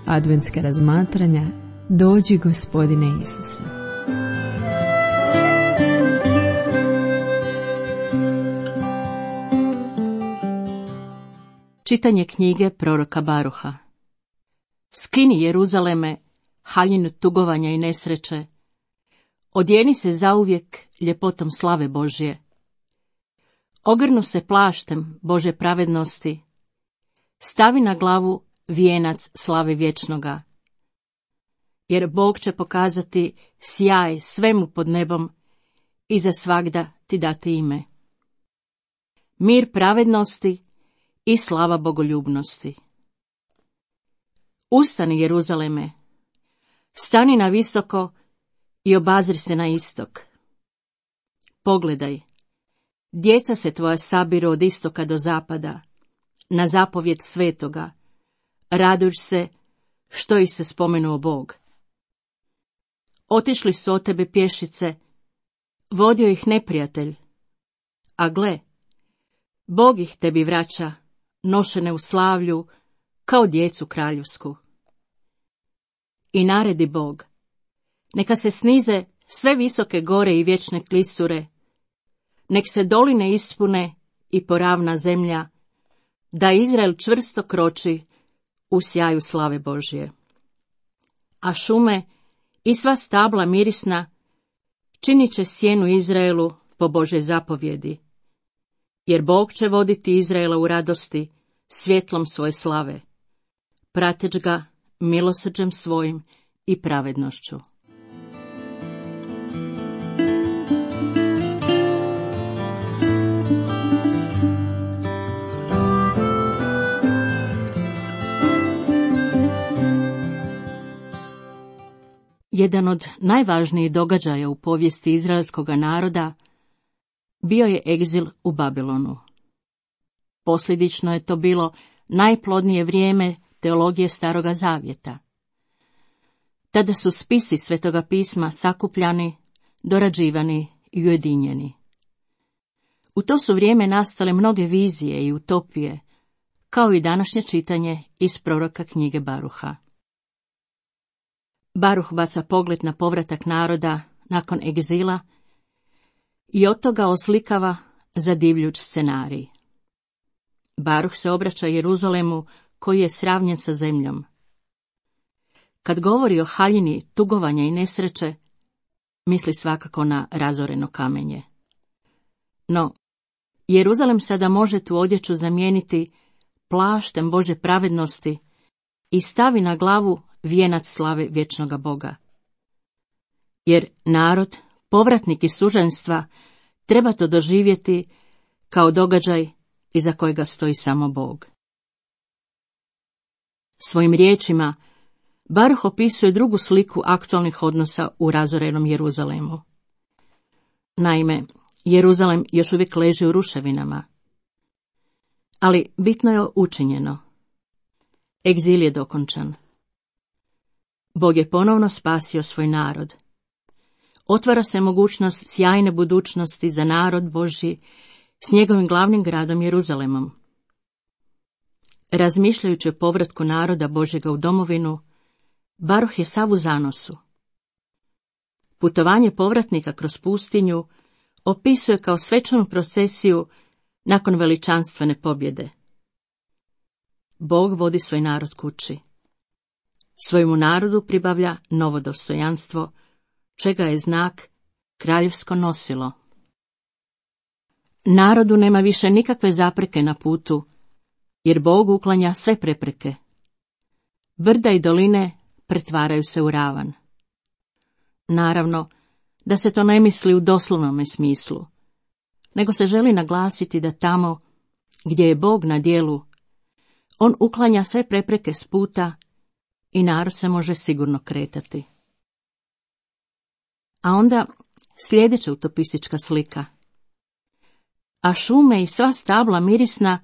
adventska razmatranja Dođi Gospodine Isuse. Čitanje knjige proroka Baruha. Skini Jeruzaleme, haljinu tugovanja i nesreće, odjeni se zauvijek ljepotom slave Božje. Ogrnu se plaštem Bože pravednosti, stavi na glavu vijenac slave vječnoga. Jer Bog će pokazati sjaj svemu pod nebom i za svagda ti dati ime. Mir pravednosti i slava bogoljubnosti. Ustani, Jeruzaleme, stani na visoko i obazri se na istok. Pogledaj, djeca se tvoja sabiru od istoka do zapada, na zapovjed svetoga, radujuć se što ih se spomenuo Bog. Otišli su od tebe pješice, vodio ih neprijatelj, a gle, Bog ih tebi vraća, nošene u slavlju, kao djecu kraljevsku. I naredi Bog, neka se snize sve visoke gore i vječne klisure, nek se doline ispune i poravna zemlja, da Izrael čvrsto kroči u sjaju slave Božje. A šume i sva stabla mirisna činit će sjenu Izraelu po Božoj zapovjedi, jer Bog će voditi Izraela u radosti svjetlom svoje slave, prateć ga milosrđem svojim i pravednošću. Jedan od najvažnijih događaja u povijesti izraelskoga naroda bio je egzil u Babilonu. Posljedično je to bilo najplodnije vrijeme teologije Staroga Zavjeta. Tada su spisi Svetoga pisma sakupljani, dorađivani i ujedinjeni. U to su vrijeme nastale mnoge vizije i utopije, kao i današnje čitanje iz proroka knjige Baruha. Baruh baca pogled na povratak naroda nakon egzila i od toga oslikava zadivljuć scenarij. Baruh se obraća Jeruzalemu koji je sravnjen sa zemljom. Kad govori o haljini tugovanja i nesreće, misli svakako na razoreno kamenje. No, Jeruzalem sada može tu odjeću zamijeniti plaštem Bože pravednosti i stavi na glavu vijenac slave vječnoga Boga. Jer narod, povratnik iz suženstva, treba to doživjeti kao događaj iza kojega stoji samo Bog. Svojim riječima Baruh opisuje drugu sliku aktualnih odnosa u razorenom Jeruzalemu. Naime, Jeruzalem još uvijek leži u ruševinama. Ali bitno je učinjeno. Egzil je dokončan. Bog je ponovno spasio svoj narod. Otvara se mogućnost sjajne budućnosti za narod Božji s njegovim glavnim gradom Jeruzalemom. Razmišljajući o povratku naroda Božjega u domovinu, Baruh je sav u zanosu. Putovanje povratnika kroz pustinju opisuje kao svečanu procesiju nakon veličanstvene pobjede. Bog vodi svoj narod kući. Svojemu narodu pribavlja novo dostojanstvo, čega je znak kraljevsko nosilo. Narodu nema više nikakve zapreke na putu, jer Bog uklanja sve prepreke. Brda i doline pretvaraju se u ravan. Naravno, da se to ne misli u doslovnome smislu, nego se želi naglasiti da tamo, gdje je Bog na djelu, on uklanja sve prepreke s puta i narod se može sigurno kretati. A onda sljedeća utopistička slika. A šume i sva stabla mirisna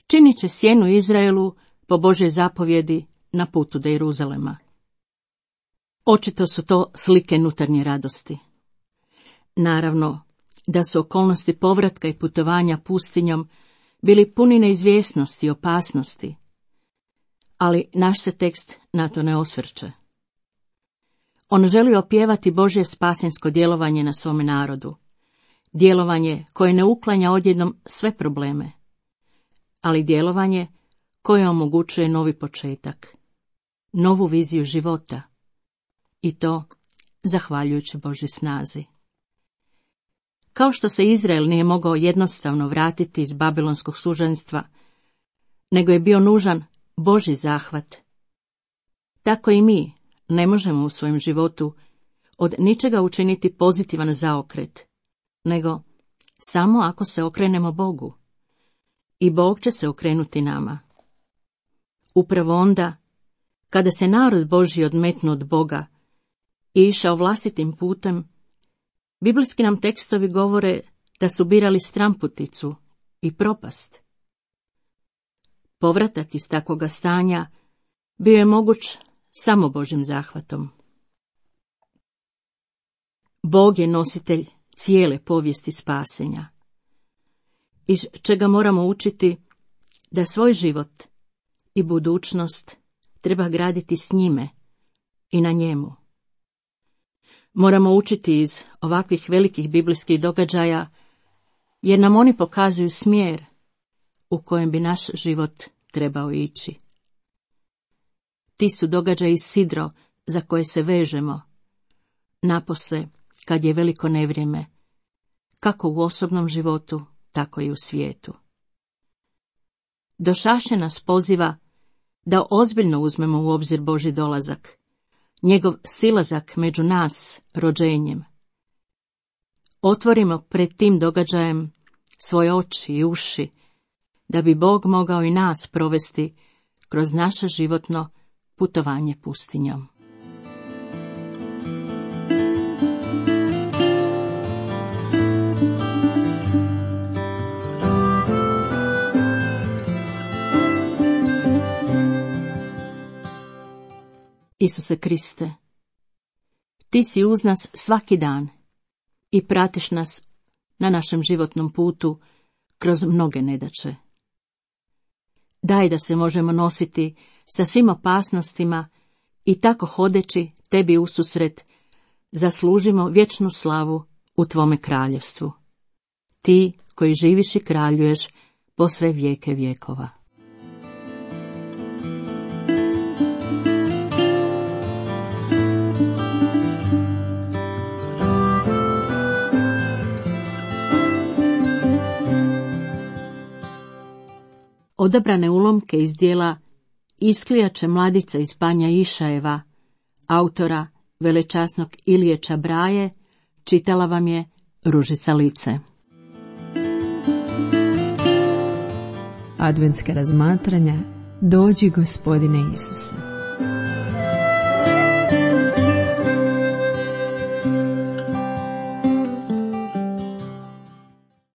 činit će sjenu Izraelu po Božoj zapovjedi na putu do Jeruzalema. Očito su to slike unutarnje radosti. Naravno, da su okolnosti povratka i putovanja pustinjom bili puni neizvjesnosti i opasnosti, Ali naš se tekst na to ne osvrće. On želi opjevati Božje spasensko djelovanje na svome narodu. Djelovanje koje ne uklanja odjednom sve probleme, ali djelovanje koje omogućuje novi početak, novu viziju života, i to zahvaljujući Božjoj snazi. Kao što se Izrael nije mogao jednostavno vratiti iz babilonskog suženstva, nego je bio nužan Božji zahvat, tako i mi ne možemo u svojem životu od ničega učiniti pozitivan zaokret, nego samo ako se okrenemo Bogu. I Bog će se okrenuti nama. Upravo onda, kada se narod Božji odmetnuo od Boga i išao vlastitim putem, biblijski nam tekstovi govore da su birali stramputicu i propast. Povratak iz takvoga stanja bio je moguć samo Božjim zahvatom. Bog je nositelj cijele povijesti spasenja, iz čega moramo učiti da svoj život i budućnost treba graditi s njime i na njemu. Moramo učiti iz ovakvih velikih biblijskih događaja, jer nam oni pokazuju smjer u kojem bi naš život trebao ići. Ti su događaji sidro za koje se vežemo, napose kad je veliko nevrijeme, kako u osobnom životu, tako i u svijetu. Došašće nas poziva da ozbiljno uzmemo u obzir Božji dolazak, njegov silazak među nas rođenjem. Otvorimo pred tim događajem svoje oči i uši, da bi Bog mogao i nas provesti kroz naše životno putovanje pustinjom. Isuse Kriste, ti si uz nas svaki dan i pratiš nas na našem životnom putu kroz mnoge nedaće. Daj da se možemo nositi sa svim opasnostima i tako hodeći tebi ususret zaslužimo vječnu slavu u tvome kraljevstvu. Ti koji živiš i kraljuješ po sve vijeke vjekova. Odabrane ulomke iz dijela Isklijače mladice iz Banja Išajeva, autora velečasnog Ilije Čabraje, čitala vam je Ružica Lice. Adventska razmatranja Dođi Gospodine Isuse.